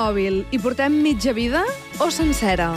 mòbil hi portem mitja vida o sencera?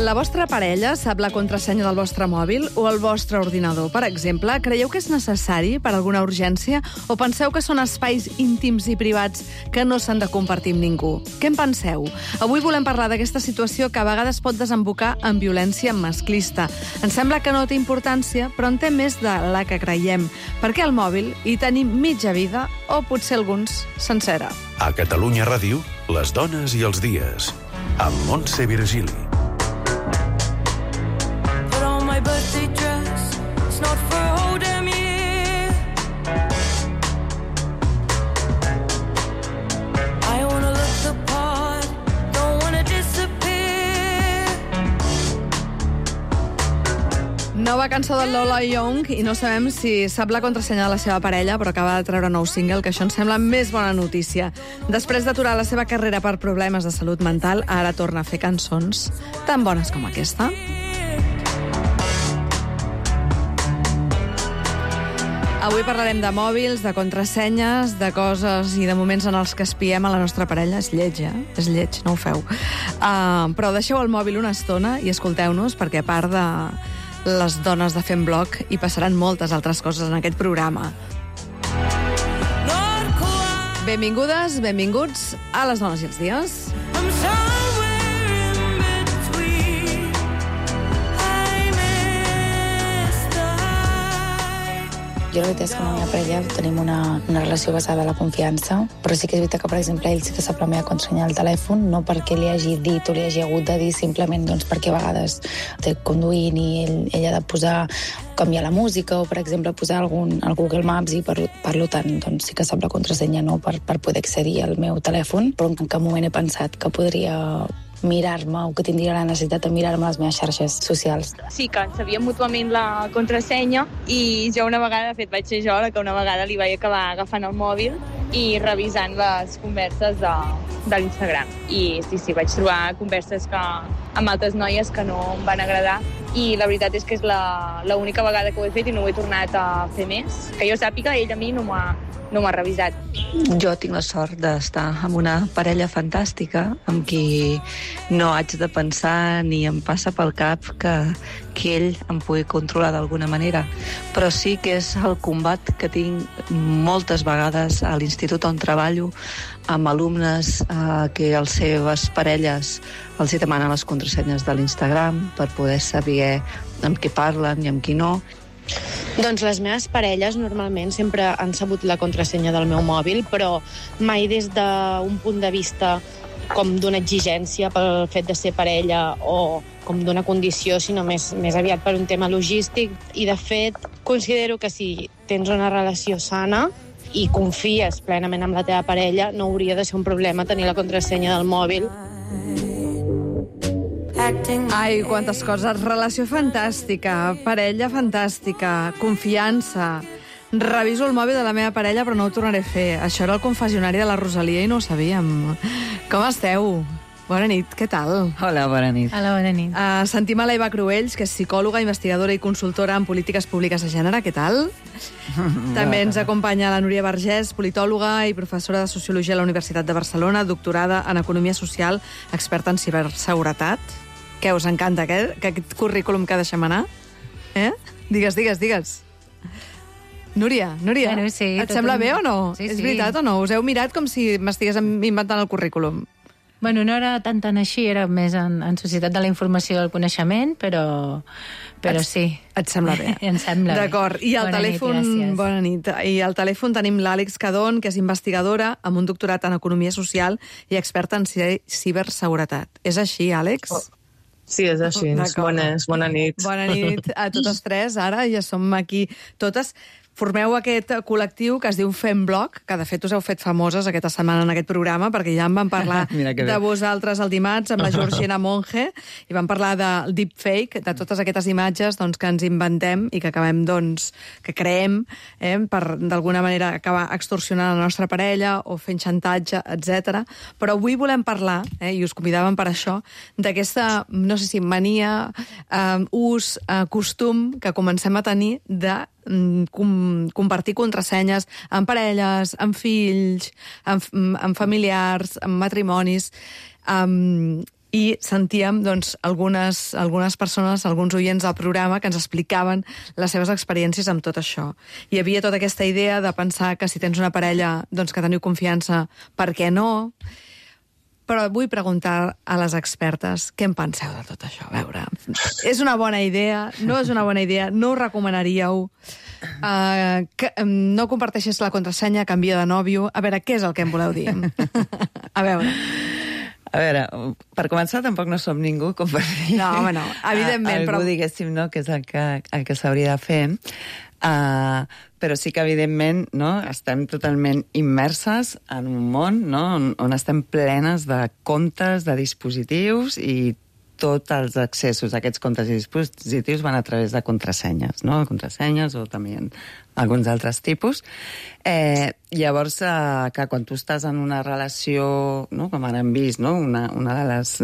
La vostra parella sap la contrasenya del vostre mòbil o el vostre ordinador, per exemple? Creieu que és necessari per alguna urgència o penseu que són espais íntims i privats que no s'han de compartir amb ningú? Què en penseu? Avui volem parlar d'aquesta situació que a vegades pot desembocar en violència masclista. Ens sembla que no té importància, però en té més de la que creiem. Perquè al mòbil hi tenim mitja vida o potser alguns sencera. A Catalunya Ràdio, les dones i els dies. Amb Montse Virgili. My birthday dress, it's not for a whole damn year. I wanna look the part, don't wanna disappear. Nova cançó de Lola Young i no sabem si sap la contrasenya de la seva parella, però acaba de treure nou single, que això ens sembla més bona notícia. Després d'aturar la seva carrera per problemes de salut mental, ara torna a fer cançons tan bones com aquesta. Avui parlarem de mòbils, de contrasenyes, de coses i de moments en els que espiem a la nostra parella. És lleig, És lleig, no ho feu. Però deixeu el mòbil una estona i escolteu-nos, perquè a part de les dones de Fem Blog hi passaran moltes altres coses en aquest programa. Benvingudes, benvinguts a les dones i els dies. Jo la veritat és que amb la meva parella tenim una relació basada en la confiança, però sí que és veritat que, per exemple, ell sí que sap la meva contrasenya del telèfon, no perquè li hagi dit o li hagi hagut de dir, simplement doncs, perquè a vegades té conduint i ell ha de posar, canviar la música o, per exemple, posar al Google Maps i per tant doncs, sí que sap la contrasenya no, per poder accedir al meu telèfon, però en cap moment he pensat que podria mirar-me o que tindria la necessitat de mirar-me les meves xarxes socials. Sí que sabíem mútuament la contrasenya i jo una vegada, de fet vaig ser jo la que una vegada li vaig acabar agafant el mòbil i revisant les converses de l'Instagram. I sí, vaig trobar converses amb altres noies que no em van agradar i la veritat és que és l'única vegada que ho he fet i no ho he tornat a fer més. Que jo sàpiga, ell a mi no m'ha revisat. Jo tinc la sort d'estar amb una parella fantàstica amb qui no haig de pensar ni em passa pel cap que ell em pugui controlar d'alguna manera. Però sí que és el combat que tinc moltes vegades a l'institut on treballo amb alumnes que les seves parelles els hi demanen les contrasenyes de l'Instagram per poder saber amb qui parlen i amb qui no. Doncs les meves parelles normalment sempre han sabut la contrasenya del meu mòbil, però mai des d'un punt de vista com d'una exigència pel fet de ser parella o com d'una condició, sinó més aviat per un tema logístic. I, de fet, considero que si tens una relació sana i confies plenament en la teva parella, no hauria de ser un problema tenir la contrasenya del mòbil. Ai, quantes coses. Relació fantàstica, parella fantàstica, confiança. Reviso el mòbil de la meva parella, però no ho tornaré a fer. Això era el confessionari de la Rosalia i no ho sabíem. Com esteu? Bona nit, què tal? Hola, bona nit. Hola, bona nit. Sentim a l'Eva Cruells, que és psicòloga, investigadora i consultora en polítiques públiques de gènere. Què tal? També ens acompanya la Núria Vergés, politòloga i professora de Sociologia a la Universitat de Barcelona, doctorada en Economia Social, experta en ciberseguretat. Què, us encanta aquest currículum que deixem anar? Digues. Núria, bueno, sí, et sembla bé o no? Sí, És veritat o no? Us heu mirat com si m'estigués inventant el currículum. Bueno, no era tan així, era més en societat de la informació i del coneixement, però sí. Et sembla bé? Em sembla bé. D'acord. I al telèfon... gràcies. Bona nit. I al telèfon tenim l'Àlex Cadón, que és investigadora amb un doctorat en Economia Social i experta en ciberseguretat. És així, Àlex? Sí, és així. Bona nit. Bona nit a totes tres. Ara ja som aquí totes. formeu aquest col·lectiu que es diu Femblog, que de fet us heu fet famoses aquesta setmana en aquest programa, perquè ja en vam parlar de vosaltres el dimarts amb la Georgina Monge, i vam parlar del deepfake, de totes aquestes imatges doncs, que ens inventem i que acabem, doncs, que creem per, d'alguna manera, acabar extorsionant la nostra parella o fent xantatge, etc. Però avui volem parlar, i us convidàvem per això, d'aquesta, no sé si mania, ús, costum que comencem a tenir de compartir contrasenyes amb parelles, amb fills, amb familiars, amb matrimonis, i sentíem doncs, algunes persones, alguns oients del programa que ens explicaven les seves experiències amb tot això. Hi havia tota aquesta idea de pensar que si tens una parella doncs, que teniu confiança, per què no? Però vull preguntar a les expertes què en penseu de tot això. A veure, és una bona idea? No és una bona idea? No ho recomanaríeu? No comparteixis la contrasenya, canvia de nòvio? A veure, què és el que em voleu dir? A veure, per començar, tampoc no som ningú com per dir... No, home, no, evidentment, algú, però... diguéssim, no, que és el que s'hauria de fer. Però sí que, evidentment, no, estem totalment immerses en un món, no, on estem plenes de comptes, de dispositius, i tots els accessos a aquests comptes i dispositius van a través de contrasenyes, no? Contrasenyes o també alguns altres tipus. Llavors, que quan tu estàs en una relació, no? Com ara hem vist, no? Una de les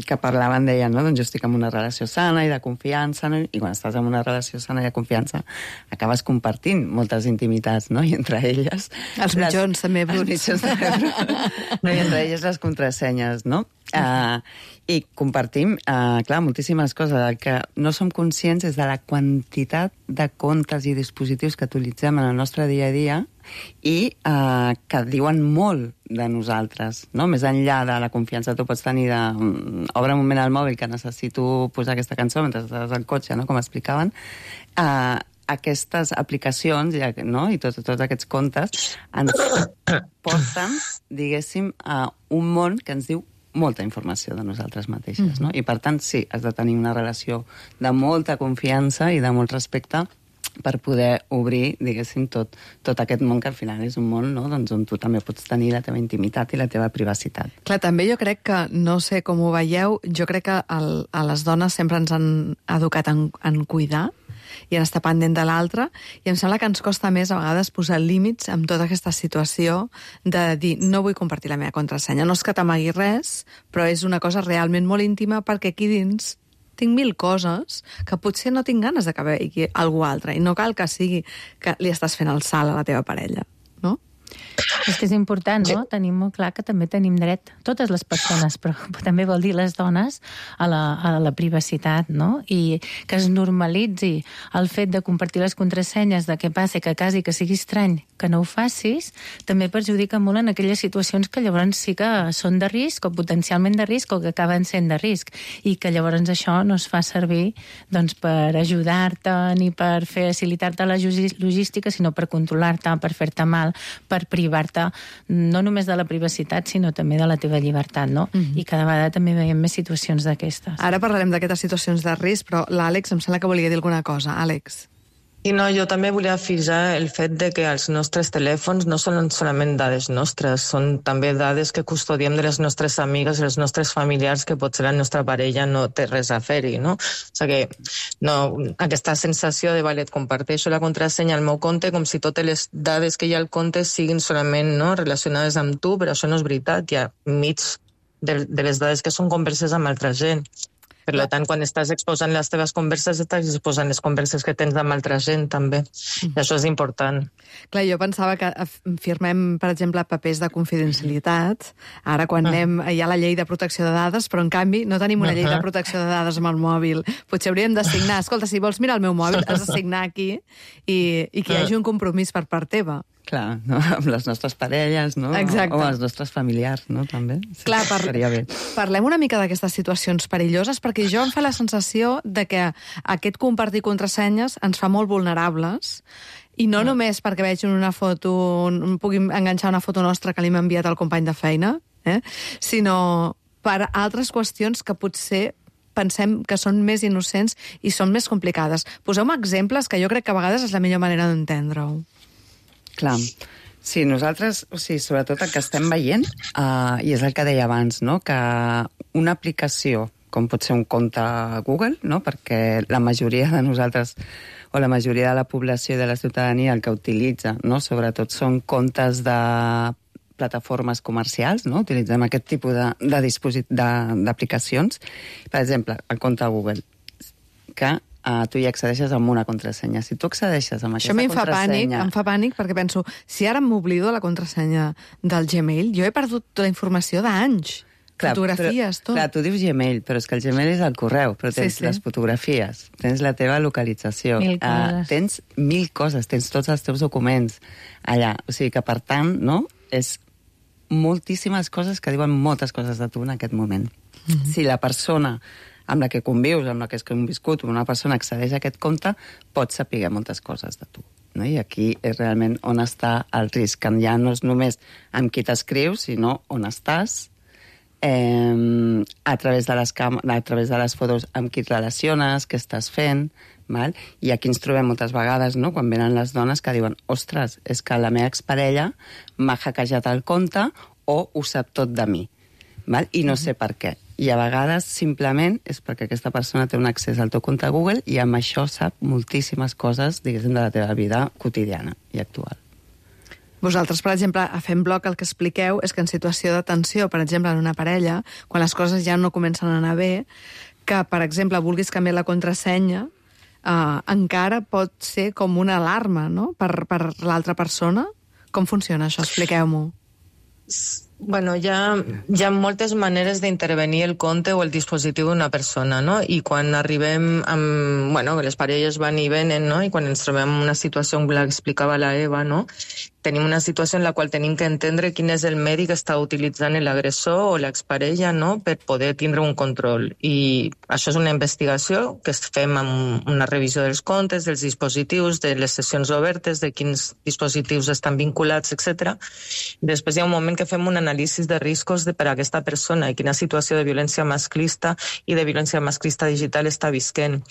que parlaven deien, no? Doncs jo estic en una relació sana i de confiança, no? I quan estàs en una relació sana i de confiança acabes compartint moltes intimitats, no? I entre elles... Els mitjons també bruts. Els mitjons també bruts. No? I entre elles les contrasenyes, no? I compartim, clar, moltíssimes coses. El que no som conscients és de la quantitat de comptes i dispositius que utilitzem en el nostre dia a dia i que diuen molt de nosaltres, no? Més enllà de la confiança tu pots tenir de... Obre un moment al mòbil que necessito posar aquesta cançó mentre estàs al cotxe, no? Com explicaven. Aquestes aplicacions, no? I tots aquests comptes ens porten, diguéssim, a un món que ens diu molta informació de nosaltres mateixes, no? I per tant, sí, has de tenir una relació de molta confiança i de molt respecte per poder obrir, diguéssim, tot aquest món que al final és un món, no? Doncs on tu també pots tenir la teva intimitat i la teva privacitat. Clar, també jo crec que, no sé com ho veieu, jo crec que a les dones sempre ens han educat en cuidar i en estar pendent de l'altre, i em sembla que ens costa més a vegades posar límits amb tota aquesta situació de dir, no vull compartir la meva contrasenya. No és que t'amagui res, però és una cosa realment molt íntima perquè aquí dins tinc 1000 coses que potser no tinc ganes de que vegi algú altre, i no cal que sigui que li estàs fent el salt a la teva parella, no? És que és important, no? Tenim molt clar que també tenim dret, totes les persones, però també vol dir les dones, a la privacitat, no? I que es normalitzi el fet de compartir les contrasenyes, de què passa, que quasi que sigui estrany que no ho facis, també perjudica molt en aquelles situacions que llavors sí que són de risc, o potencialment de risc, o que acaben sent de risc, i que llavors això no es fa servir doncs, per ajudar-te ni per facilitar-te la logística, sinó per controlar-te, per fer-te mal, per privar-te no només de la privacitat, sinó també de la teva llibertat, no? I cada vegada també veiem més situacions d'aquestes. Ara parlarem d'aquestes situacions de risc, però l'Àlex em sembla que volia dir alguna cosa. Àlex. I no, jo també volia afegir el fet de que els nostres telèfons no són solament dades nostres, són també dades que custodiem de les nostres amigues i els nostres familiars, que potser la nostra parella no té res a fer-hi, no? O sigui que no, aquesta sensació de, vale, et comparteixo la contrasenya al meu compte com si totes les dades que hi ha al compte siguin solament, no, relacionades amb tu, però això no és veritat, hi ha mig de les dades que són converses amb altra gent. Per tant, quan estàs exposant les teves converses, estàs exposant les converses que tens amb altra gent, també. I això és important. Clar, jo pensava que firmem, per exemple, papers de confidencialitat. Ara, quan hi ha la llei de protecció de dades, però, en canvi, no tenim una llei de protecció de dades amb el mòbil. Potser hauríem de signar. Escolta, si vols mirar el meu mòbil, has de signar aquí i que hi hagi un compromís per part teva. Clar, no? Amb les nostres parelles, no? Exacte. O els nostres familiars, no? També. Sí, clar, seria bé. Parlem una mica d'aquestes situacions perilloses, perquè jo em fa la sensació de que aquest compartir contrasenyes ens fa molt vulnerables, i no només perquè veig una foto, pugui enganxar una foto nostra que li m'ha enviat el company de feina, sinó per altres qüestions que potser pensem que són més innocents i són més complicades. Poseu-me exemples que jo crec que a vegades és la millor manera d'entendre-ho. Clar. Sí, nosaltres, sobretot el que estem veient, i és el que deia abans, no? Que una aplicació, com pot ser un compte Google, no? Perquè la majoria de nosaltres, o la majoria de la població i de la ciutadania, el que utilitza, no? Sobretot són comptes de plataformes comercials, no? Utilitzem aquest tipus d'aplicacions. Per exemple, el compte Google, que tu hi accedeixes amb una contrasenya. Si tu accedeixes amb aquesta contrasenya... Això em fa pànic perquè penso, si ara m'oblido la contrasenya del Gmail, jo he perdut la informació d'anys. Fotografies, tot. Clar, tu dius Gmail, però és que el Gmail és el correu, però tens les fotografies, tens la teva localització, tens 1000 coses, tens tots els teus documents allà. O sigui que, per tant, no, és moltíssimes coses que diuen moltes coses de tu en aquest moment. Si la persona amb la que convius, amb la que has conviscut, una persona accedeix a aquest compte, pots saber moltes coses de tu. No? I aquí és realment on està el risc, que ja no és només amb qui t'escrius, sinó on estàs, a través de les fotos amb qui et relaciones, què estàs fent, val? I aquí ens trobem moltes vegades, no? Quan venen les dones que diuen, ostres, és que la meva exparella m'ha hackejat el compte o ho sap tot de mi, val? I no sé per què. I a vegades simplement és perquè aquesta persona té un accés al teu compte Google i amb això sap moltíssimes coses, diguéssim, de la teva vida quotidiana i actual. Vosaltres, per exemple, a Fem Bloc el que expliqueu és que en situació de tensió, per exemple, en una parella, quan les coses ja no comencen a anar bé, que, per exemple, vulguis canviar la contrasenya, encara pot ser com una alarma, no?, per l'altra persona. Com funciona això? Expliqueu-m'ho. Bueno, hi ha moltes maneres d'intervenir el compte o el dispositiu d'una persona, no? I quan arribem amb... Bueno, les parelles van i venen, no? I quan ens trobem en una situació, com l'explicava la Eva, no? Tenim una situació en la qual tenim que entendre quin és el medi que està utilitzant l'agressor o l'exparella, no?, per poder tindre un control. I això és una investigació que fem amb una revisió dels comptes, dels dispositius, de les sessions obertes, de quins dispositius estan vinculats, etc. Després hi ha un moment que fem un anàlisi de riscos per a aquesta persona i quina situació de violència masclista i de violència masclista digital està visquent.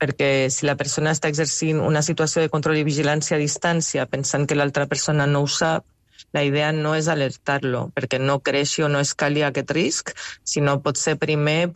Perquè si la persona està exercint una situació de control i vigilància a distància pensant que l'altra persona no ho sap, la idea no és alertar-lo perquè no creixi o no escali aquest risc, sinó potser primer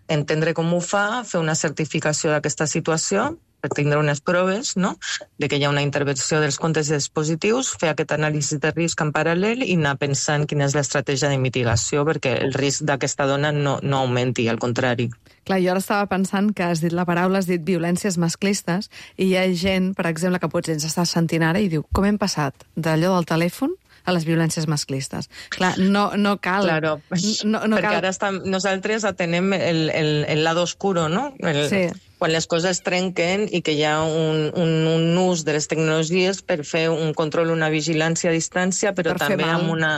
entendre com ho fa, fer una certificació d'aquesta situació per tindre unes proves, no?, de que hi ha una intervenció dels comptes i dispositius, fer aquest anàlisi de risc en paral·lel i anar pensant quina és l'estratègia de mitigació perquè el risc d'aquesta dona no augmenti, al contrari. Clar, jo ara estava pensant que has dit la paraula, has dit violències masclistes, i hi ha gent, per exemple, que potser ens està sentint ara i diu, com hem passat d'allò del telèfon a les violències masclistes? Clar, no cal... Claro, perquè ara nosaltres atenem el lado oscuro, no? Sí. Quan les coses trenquen i que hi ha un ús de les tecnologies per fer un control, una vigilància a distància, però també amb una...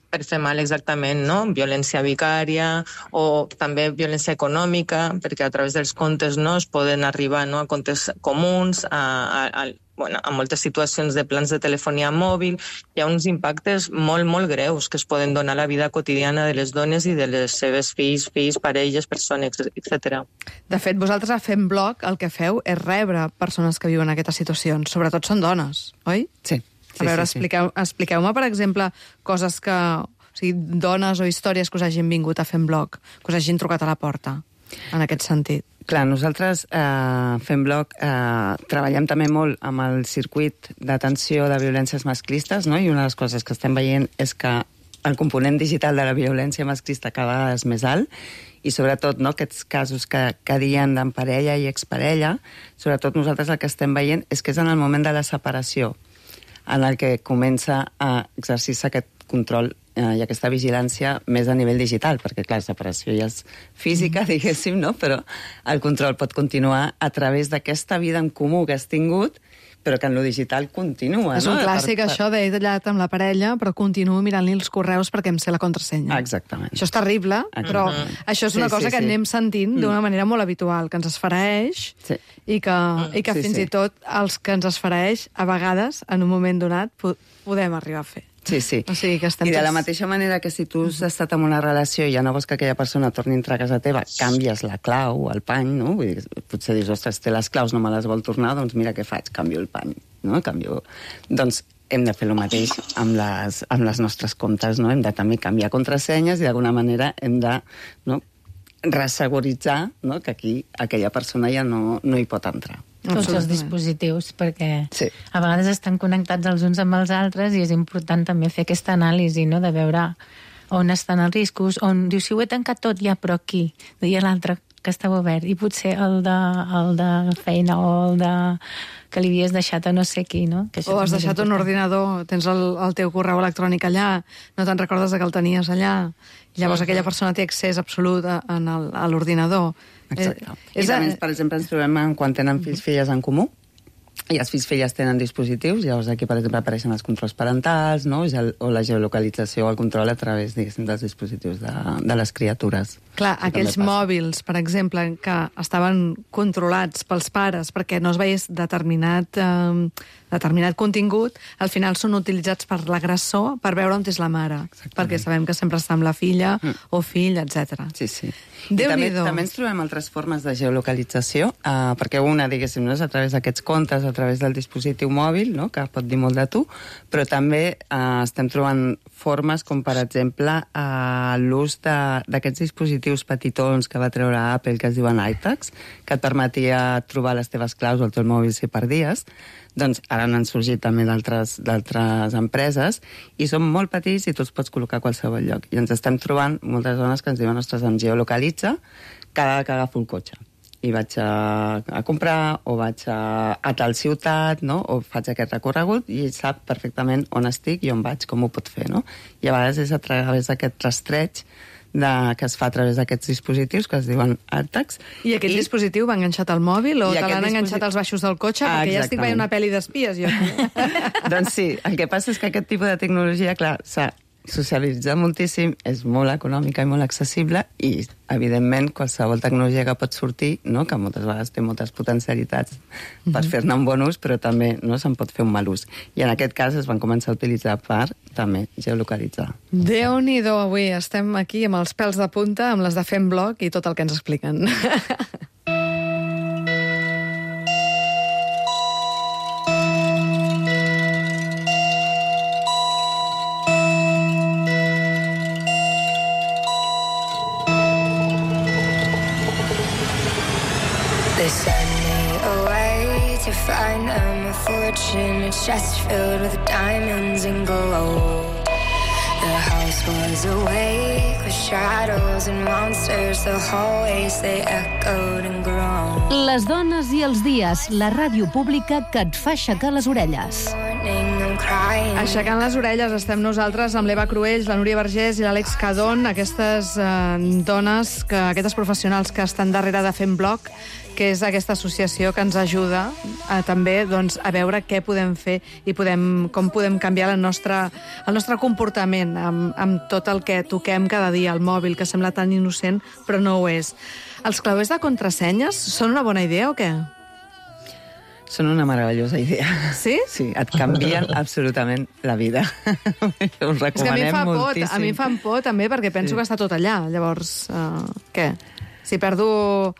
Per fer mal, exactament, no? Violència vicària o també violència econòmica, perquè a través dels comptes no es poden arribar, no, a comptes comuns, a moltes situacions de plans de telefonia mòbil. Hi ha uns impactes molt, molt greus que es poden donar a la vida quotidiana de les dones i de les seves fills, parelles, persones, etc. De fet, vosaltres a Fem Bloc el que feu és rebre persones que viuen aquestes situacions. Sobretot són dones, oi? Sí. A veure, expliqueu-me, per exemple, coses que... O sigui, dones o històries que us hagin vingut a Fem Bloc, que us hagin trucat a la porta, en aquest sentit. Clar, nosaltres Fem Bloc treballem també molt amb el circuit d'atenció de violències masclistes, no? I una de les coses que estem veient és que el component digital de la violència masclista cada vegada és més alt i sobretot no, aquests casos que diem d'en parella i exparella, sobretot nosaltres el que estem veient és que és en el moment de la separació en el que comença a exercir-se aquest control i aquesta vigilància més a nivell digital, perquè, clar, la separació ja és física, diguéssim, no? Però el control pot continuar a través d'aquesta vida en comú que has tingut, però que en lo digital continua. És un clàssic, això d'he tallat amb la parella, però continuo mirant-li els correus perquè em sé la contrasenya. Exactament. Això és terrible, però això és una cosa que anem sentint d'una manera molt habitual, que ens esfereix i que fins i tot els que ens esfereix, a vegades, en un moment donat, podem arribar a fer. Sí. O sigui que estem I de la mateixa manera que si tu has estat en una relació i ja no vols que aquella persona torni a entrar a casa teva, canvies la clau, el pany, no? Vull dir, potser dius, ostres, té les claus, no me les vol tornar, doncs mira què faig, canvio el pany, no? Doncs hem de fer el mateix amb les nostres comptes, no? Hem de també canviar contrasenyes i d'alguna manera hem de resseguritzar, no? Que aquí aquella persona ja no hi pot entrar. Tots els dispositius, perquè sí. A vegades estan connectats els uns amb els altres i és important també fer aquesta anàlisi, no? De veure on estan els riscos, on diu, si ho he tancat tot ja, però aquí, i l'altre que estava obert, i potser el de feina o el de que li havies deixat a no sé qui, no? Que o has deixat un ordinador, tens el teu correu electrònic allà, no te'n recordes que el tenies allà, i llavors aquella persona té accés absolut a l'ordinador. Exacte. I també, per exemple, ens trobem quan tenen fills-filles en comú, i els fills-filles tenen dispositius, llavors aquí, per exemple, apareixen els controls parentals, no? O la geolocalització o el control a través, diguéssim, dels dispositius de les criatures. Clar, aquells mòbils, per exemple, que estaven controlats pels pares perquè no es veiés determinat contingut, al final són utilitzats per l'agressor per veure on és la mare. Exactament. Perquè sabem que sempre està amb la filla o fill, etc. Sí. I també ens trobem altres formes de geolocalització, perquè una, diguéssim, no és a través d'aquests comptes, a través del dispositiu mòbil, no? Que pot dir molt de tu, però també estem trobant formes com, per exemple, l'ús d'aquests dispositius petitons que va treure Apple, que es diuen iTags, que et permetia trobar les teves claus o el teu mòbil si perdies. Doncs ara n'han sorgit també d'altres empreses i són molt petits i tu els pots col·locar a qualsevol lloc. I ens estem trobant moltes dones que ens diuen, ostres, em geolocalitza cada que agafo el cotxe. I vaig a comprar o vaig a tal ciutat, no? O faig aquest recorregut i sap perfectament on estic i on vaig, com ho pot fer, no? I a vegades és a través d'aquest rastreig que es fa a través d'aquests dispositius que es diuen AirTags. I aquest dispositiu va enganxat al mòbil o te l'han enganxat als baixos del cotxe? Perquè ja estic veient una pel·li d'espies, jo. Doncs sí, el que passa és que aquest tipus de tecnologia, clar, s'ha socialitzat moltíssim, és molt econòmica i molt accessible i, evidentment, qualsevol tecnologia que pot sortir, no? Que moltes vegades té moltes potencialitats per fer-ne un bon ús, però també no se'n pot fer un mal ús. I en aquest cas es van començar a utilitzar per també geolocalitzar. Déu-n'hi-do, avui estem aquí amb els pèls de punta, amb les de Fem Blog i tot el que ens expliquen. They send me away to find them a fortune, a chest filled with diamonds and gold. The house was awake with shadows and monsters. The hallways, they echoed and groaned. Les dones i els dies, la ràdio pública que et fa aixecar les orelles. Aixecant les orelles estem nosaltres amb l'Eva Cruells, la Núria Vergés i l'Àlex Cadón, aquestes dones, aquestes professionals que estan darrere de Fem Blog, que és aquesta associació que ens ajuda també a veure què podem fer i com podem canviar el nostre comportament amb tot el que toquem cada dia, el mòbil, que sembla tan innocent, però no ho és. Els clauers de contrasenyes són una bona idea o què? Són una meravellosa idea. Sí? Sí, et canvien absolutament la vida. Us recomanem moltíssim. A mi em fan por també perquè penso que està tot allà. Llavors, què? Si perdo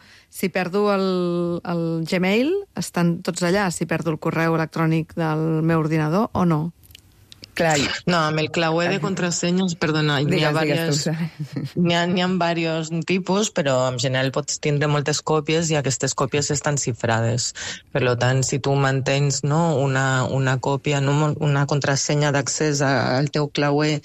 el Gmail, estan tots allà. Si perdo el correu electrònic del meu ordinador o no? Clar. No, amb el clauer de contrasenyes, perdona, n'hi ha diversos tipus, però en general pots tindre moltes còpies i aquestes còpies estan xifrades. Per tant, si tu mantens una còpia, una contrasenya d'accés al teu clauer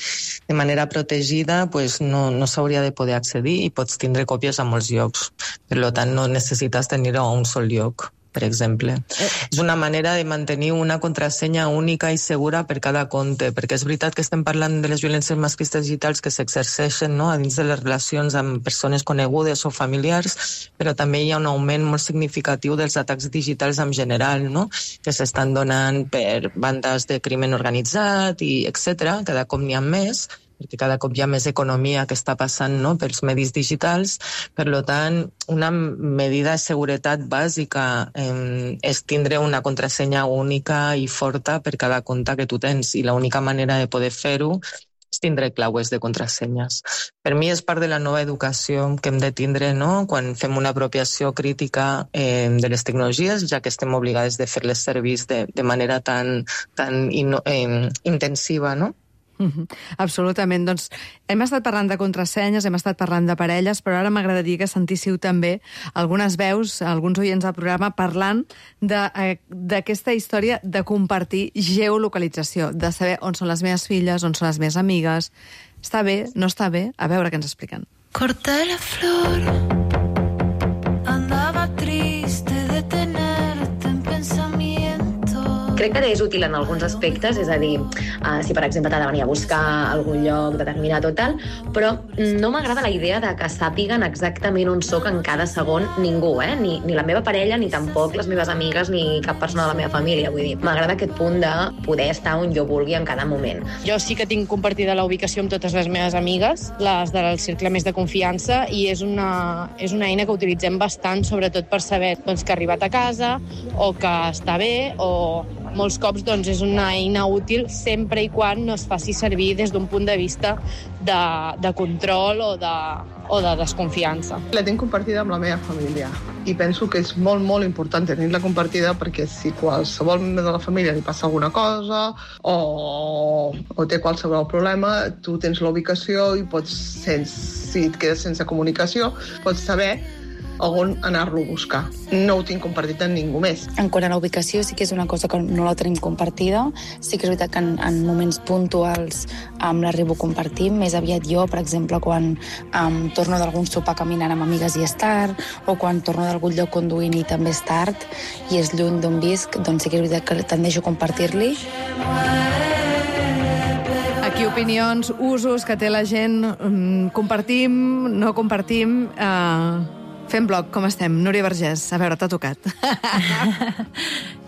de manera protegida, pues no s'hauria de poder accedir i pots tindre còpies a molts llocs. Per tant, no necessites tenir-ho a un sol lloc, per exemple. És una manera de mantenir una contrasenya única i segura per cada compte, perquè és veritat que estem parlant de les violències masclistes digitals que s'exerceixen a dins de les relacions amb persones conegudes o familiars, però també hi ha un augment molt significatiu dels atacs digitals en general, que s'estan donant per bandes de crimen organitzat i etc. Cada cop n'hi ha més, perquè cada cop hi ha més economia que està passant, no?, pels medis digitals. Per tant, una medida de seguretat bàsica és tindre una contrasenya única i forta per cada compte que tu tens, i l'única manera de poder fer-ho és tindre claues de contrasenyes. Per mi és part de la nova educació que hem de tindre, no?, quan fem una apropiació crítica de les tecnologies, ja que estem obligades de fer-les servir de manera tan intensiva, no? Absolutament. Doncs hem estat parlant de contrasenyes, hem estat parlant de parelles, però ara m'agradaria que sentíssiu també algunes veus, alguns oients del programa, parlant d'aquesta història de compartir geolocalització, de saber on són les meves filles, on són les meves amigues. Està bé, no està bé? A veure què ens expliquen. Corté la flor, andava triste de tenerte en pensamiento. Crec que és útil en alguns aspectes, és a dir, si per exemple t'ha de venir a buscar a algun lloc determinat o tal, però no m'agrada la idea de que sàpiguen exactament on soc en cada segon ningú, ni la meva parella, ni tampoc les meves amigues, ni cap persona de la meva família. Vull dir, m'agrada aquest punt de poder estar on jo vulgui en cada moment. Jo sí que tinc compartida la ubicació amb totes les meves amigues, les del cercle més de confiança, i és una eina que utilitzem bastant, sobretot per saber que ha arribat a casa o que està bé, o molts cops és una eina útil sempre i quan no es faci servir des d'un punt de vista de control o de desconfiança. La tinc compartida amb la meva família i penso que és molt, molt important tenir-la compartida, perquè si qualsevol membre de la família li passa alguna cosa o té qualsevol problema, tu tens la ubicació i si et quedes sense comunicació, pots saber on anar-lo a buscar. No ho tinc compartit amb ningú més. En quant a la ubicació, sí que és una cosa que no la tenim compartida. Sí que és veritat que en moments puntuals l'arribo a compartir. Més aviat jo, per exemple, quan torno d'algun sopar caminant amb amigues i és tard, o quan torno d'algun lloc conduint i també és tard, i és lluny d'on visc, doncs sí que és veritat que tendeixo a compartir-li. Aquí opinions, usos que té la gent, compartim, no compartim... Fem bloc, com estem? Núria Vergés, a veure, t'ha tocat.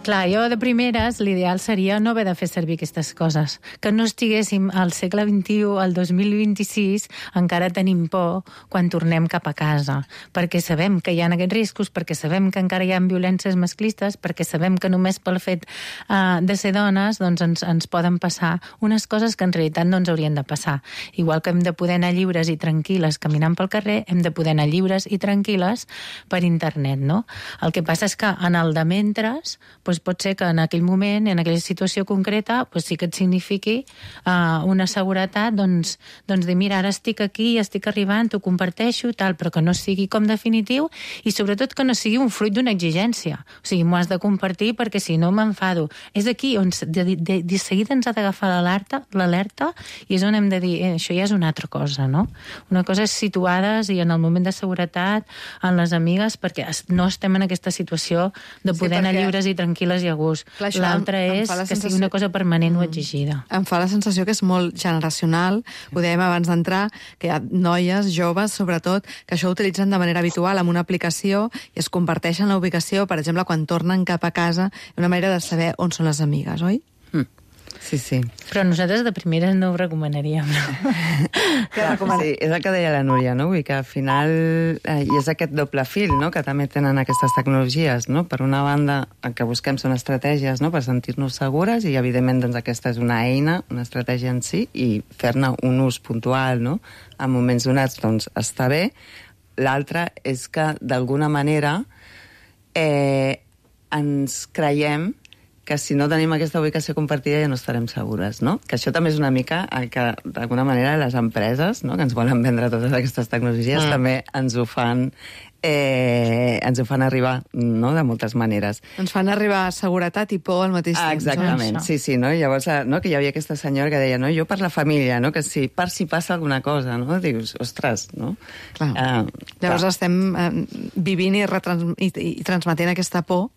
Clar, jo de primeres l'ideal seria no haver de fer servir aquestes coses. Que no estiguéssim al segle XXI, al 2026, encara tenim por quan tornem cap a casa. Perquè sabem que hi ha aquests riscos, perquè sabem que encara hi ha violències masclistes, perquè sabem que només pel fet de ser dones doncs ens poden passar unes coses que en realitat no ens haurien de passar. Igual que hem de poder anar lliures i tranquil·les caminant pel carrer, hem de poder anar lliures i tranquil·les per internet, no? El que passa és que en el de mentres, pot ser que en aquell moment, en aquella situació concreta, sí que et signifiqui una seguretat, doncs de mira, ara estic aquí, estic arribant, t'ho comparteixo, tal, però que no sigui com definitiu i sobretot que no sigui un fruit d'una exigència. O sigui, m'ho has de compartir perquè si no m'enfado. És aquí on de seguida ens ha d'agafar l'alerta i és on hem de dir, això ja és una altra cosa, no? Una cosa és situades i en el moment de seguretat, en les amigues, perquè no estem en aquesta situació de poder anar lliures i tranquil·les i a gust. L'altre és que sigui una cosa permanent o exigida. Em fa la sensació que és molt generacional, ho dèiem abans d'entrar, que hi ha noies, joves, sobretot, que això ho utilitzen de manera habitual amb una aplicació i es comparteixen la ubicació, per exemple, quan tornen cap a casa, una manera de saber on són les amigues, oi? Sí, sí. Però nosaltres de primeres no ho recomanaríem. Sí, és el que deia la Núria, no? Vull que al final i és aquest doble fil, no?, que també tenen aquestes tecnologies, no? Per una banda, el que busquem són estratègies, no?, per sentir-nos segures i, evidentment, doncs aquesta és una eina, una estratègia en si, i fer-ne un ús puntual, no?, en moments donats, doncs està bé. L'altre és que, d'alguna manera, ens creiem que si no tenim aquesta ubicació compartida ja no estarem segures, no? Que això també és una mica el que, d'alguna manera, les empreses, no?, que ens volen vendre totes aquestes tecnologies, també ens ho fan arribar, no?, de moltes maneres. Ens fan arribar seguretat i por al mateix temps. Exactament, sí, no? Llavors, no?, que hi havia aquesta senyora que deia, no?, jo per la família, no?, que si passa alguna cosa, no?, dius, ostres, no? Llavors estem vivint i transmetent aquesta por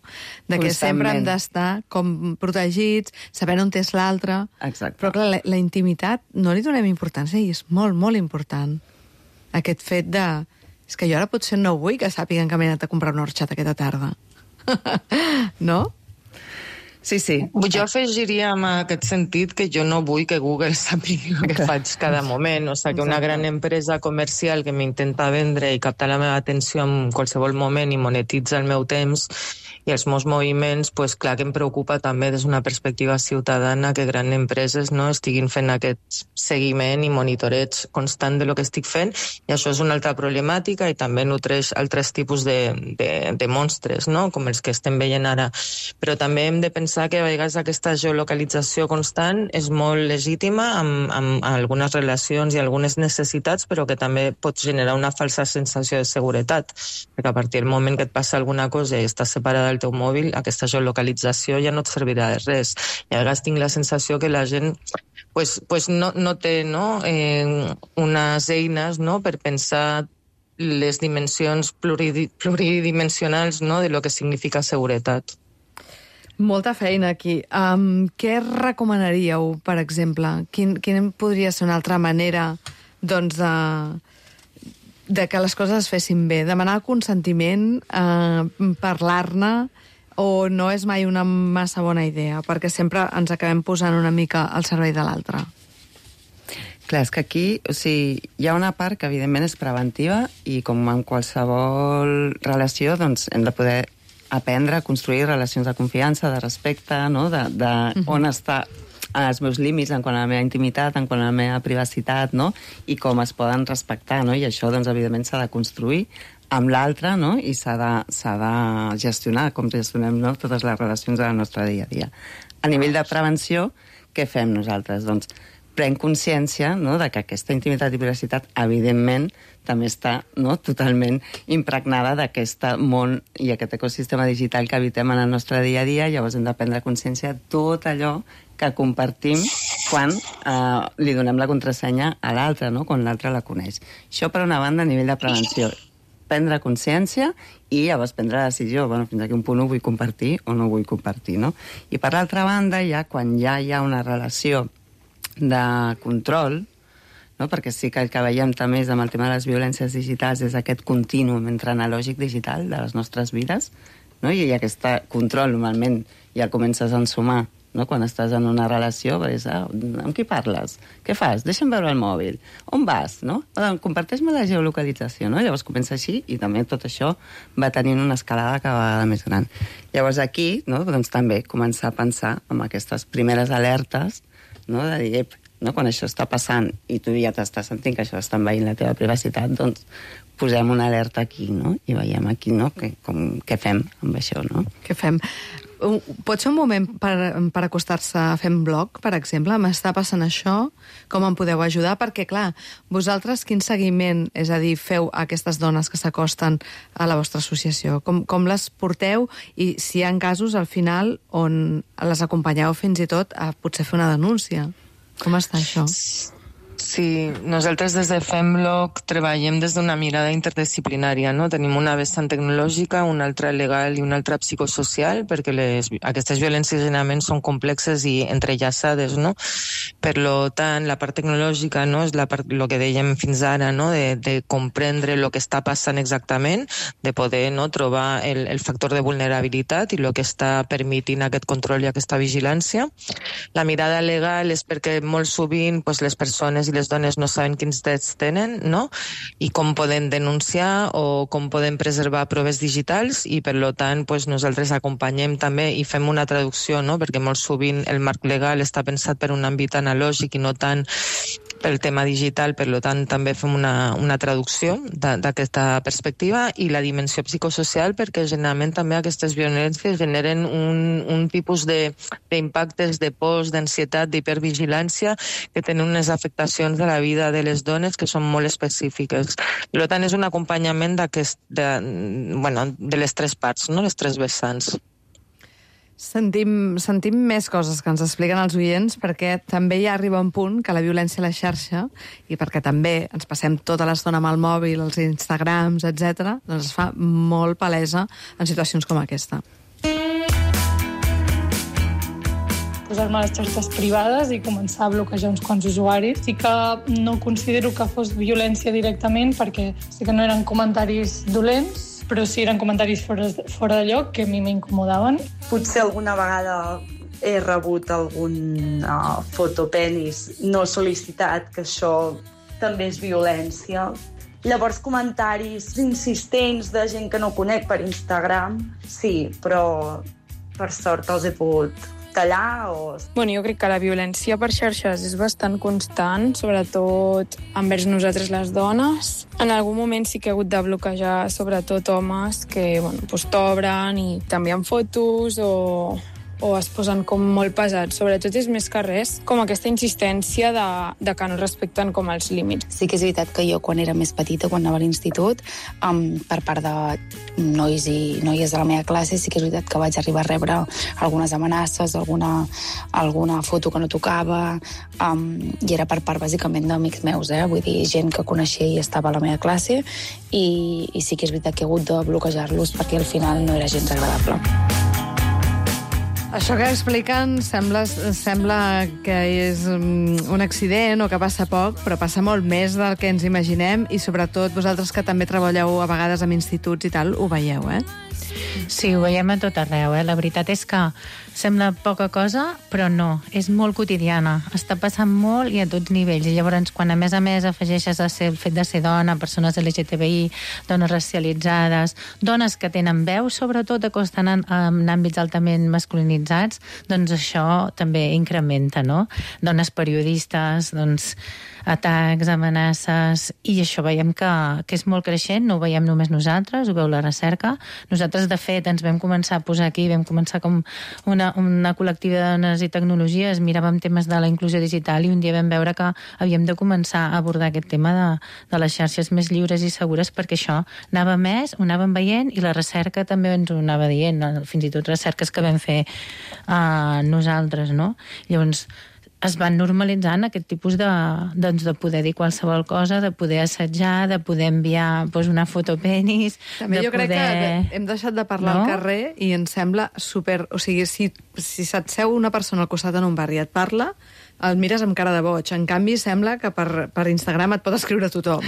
de que sempre hem d'estar com protegits, sabent on és l'altre. Exacte. Però clar, la intimitat no li donem importància i és molt, molt important. Aquest fet de... És que jo ara potser no vull que sàpiguen que m'he anat a comprar una horxata aquesta tarda. No? Sí. Jo afegiria en aquest sentit que jo no vull que Google sàpiga el que faig cada moment. O sigui, que una gran empresa comercial que m'intenta vendre i captar la meva atenció en qualsevol moment i monetitza el meu temps i els meus moviments, pues, clar que em preocupa també des d'una perspectiva ciutadana que grans empreses no estiguin fent aquest seguiment i monitoreig constant de lo que estic fent, i això és una altra problemàtica i també nutreix altres tipus de monstres, no? Com els que estem veient ara. Però també hem de pensar que a vegades aquesta geolocalització constant és molt legítima amb algunes relacions i algunes necessitats, però que també pot generar una falsa sensació de seguretat, perquè a partir del moment que et passa alguna cosa i estàs separada del teu mòbil, aquesta geolocalització ja no et servirà de res. I a vegades tinc la sensació que la gent pues no té unes eines per pensar les dimensions pluridimensionals de lo que significa seguretat. Molta feina aquí. Què recomanaríeu, per exemple? Quina podria ser una altra manera de que les coses es fessin bé? Demanar el consentiment, parlar-ne, o no és mai una massa bona idea? Perquè sempre ens acabem posant una mica al servei de l'altre. Clar, és que aquí hi ha una part que evidentment és preventiva i com en qualsevol relació hem de poder aprendre a construir relacions de confiança, de respecte, on està els meus límits en quant a la meva intimitat, en quant a la meva privacitat, i com es poden respectar, i això, evidentment, s'ha de construir amb l'altre, i s'ha de gestionar, com gestionem totes les relacions del nostre dia a dia. A nivell de prevenció, què fem nosaltres? Doncs prenc consciència de que aquesta intimitat i privacitat, evidentment, també està totalment impregnada d'aquest món i aquest ecosistema digital que habitem en el nostre dia a dia. Llavors hem de prendre consciència de tot allò que compartim quan li donem la contrasenya a l'altre, quan l'altre la coneix. Això, per una banda, a nivell de prevenció. Prendre consciència i llavors prendre la decisió, fins a quin punt ho vull compartir o no ho vull compartir, I per l'altra banda, quan ja hi ha una relació de control, perquè sí que el que veiem també és amb el tema de les violències digitals és aquest continuum entre analògic digital de les nostres vides, i aquest control normalment ja comences a ensumar quan estàs en una relació, amb qui parles? Què fas? Deixa'm veure el mòbil. On vas? Comparteix-me la geolocalització. Llavors comença així i també tot això va tenint una escalada cada vegada més gran. Llavors aquí també començar a pensar en aquestes primeres alertes de dir, quan això està passant i tu ja t'estàs sentint que això està envaint la teva privacitat, doncs posem una alerta aquí, i veiem aquí què fem amb això, Què fem? Pot ser un moment per acostar-se a fer un blog, per exemple? M'està passant això? Com em podeu ajudar? Perquè, clar, vosaltres quin seguiment, és a dir, feu a aquestes dones que s'acosten a la vostra associació? Com les porteu? I si hi ha casos, al final, on les acompanyeu fins i tot a potser fer una denúncia? Com està això? Sí, nosaltres des de Femblog treballem des d'una mirada interdisciplinària, Tenim una vessant tecnològica, una altra legal i una altra psicosocial, perquè aquestes violències generalment són complexes i entrellaçades, Per tant, la part tecnològica és la part, el que dèiem fins ara, de comprendre el que està passant exactament, de poder trobar el factor de vulnerabilitat i el que està permitint aquest control i aquesta vigilància. La mirada legal és perquè molt sovint les persones i les dones no saben quins drets tenen, i com poden denunciar o com poden preservar proves digitals, i per tant nosaltres acompanyem també i fem una traducció, perquè molt sovint el marc legal està pensat per un àmbit analògic i no tant pel tema digital, per tant també fem una traducció d'aquesta perspectiva, i la dimensió psicosocial, perquè generalment també aquestes violències generen un tipus d'impactes de por, d'ansietat, d'hipervigilància, que tenen unes afectacions de la vida de les dones que són molt específiques. Per tant, és un acompanyament de les tres parts, les tres vessants. Sentim més coses que ens expliquen els oients, perquè també ja arriba un punt que la violència a la xarxa, i perquè també ens passem tota l'estona amb el mòbil, els Instagrams, etc., doncs es fa molt palesa en situacions com aquesta. Posar-me a les xarxes privades i començar a bloquejar uns quants usuaris. Sí que no considero que fos violència directament, perquè sí que no eren comentaris dolents, però sí eren comentaris fora de lloc que a mi m'incomodaven. Potser alguna vegada he rebut algun fotopenis no sol·licitat, que això també és violència. Llavors, comentaris insistents de gent que no conec per Instagram, sí, però per sort els he pogut tallar o... Bueno, jo crec que la violència per xarxes és bastant constant, sobretot envers nosaltres les dones. En algun moment sí que he hagut de bloquejar sobretot homes que t'obren i t'envien fotos o es posen com molt pesats. Sobretot és més que res com aquesta insistència de que no respecten com els límits. Sí que és veritat que jo, quan era més petita, quan anava a l'institut, per part de nois i noies de la meva classe, sí que és veritat que vaig arribar a rebre algunes amenaces, alguna foto que no tocava, i era per part, bàsicament, d'amics meus, vull dir, gent que coneixia i estava a la meva classe, i sí que és veritat que he hagut de bloquejar-los perquè al final no era gens agradable. Això que expliquen sembla que és un accident o que passa poc, però passa molt més del que ens imaginem i sobretot vosaltres que també treballeu a vegades amb instituts i tal, ho veieu, Sí, ho veiem a tot arreu, La veritat és que sembla poca cosa, però no, és molt quotidiana. Està passant molt i a tots nivells. I llavors, quan a més afegeixes el fet de ser dona, persones LGTBI, dones racialitzades, dones que tenen veu, sobretot que estan en àmbits altament masculinitzats, doncs això també incrementa, no? Dones periodistes, doncs atacs, amenaces, i això veiem que és molt creixent, no ho veiem només nosaltres, ho veu la recerca. Nosaltres, de fet, ens vam començar a posar aquí, vam començar com una col·lectiva de dones i tecnologies, miràvem temes de la inclusió digital i un dia vam veure que havíem de començar a abordar aquest tema de les xarxes més lliures i segures, perquè això anava més, ho anàvem veient i la recerca també ens ho anava dient, fins i tot recerques que vam fer nosaltres, no? Llavors, es van normalitzant aquest tipus de poder dir qualsevol cosa, de poder assetjar, de poder enviar una foto penis... També jo crec que hem deixat de parlar al carrer i ens sembla super... O sigui, si se't seu una persona al costat en un bar i et parla, el mires amb cara de boig. En canvi, sembla que per Instagram et pot escriure tothom.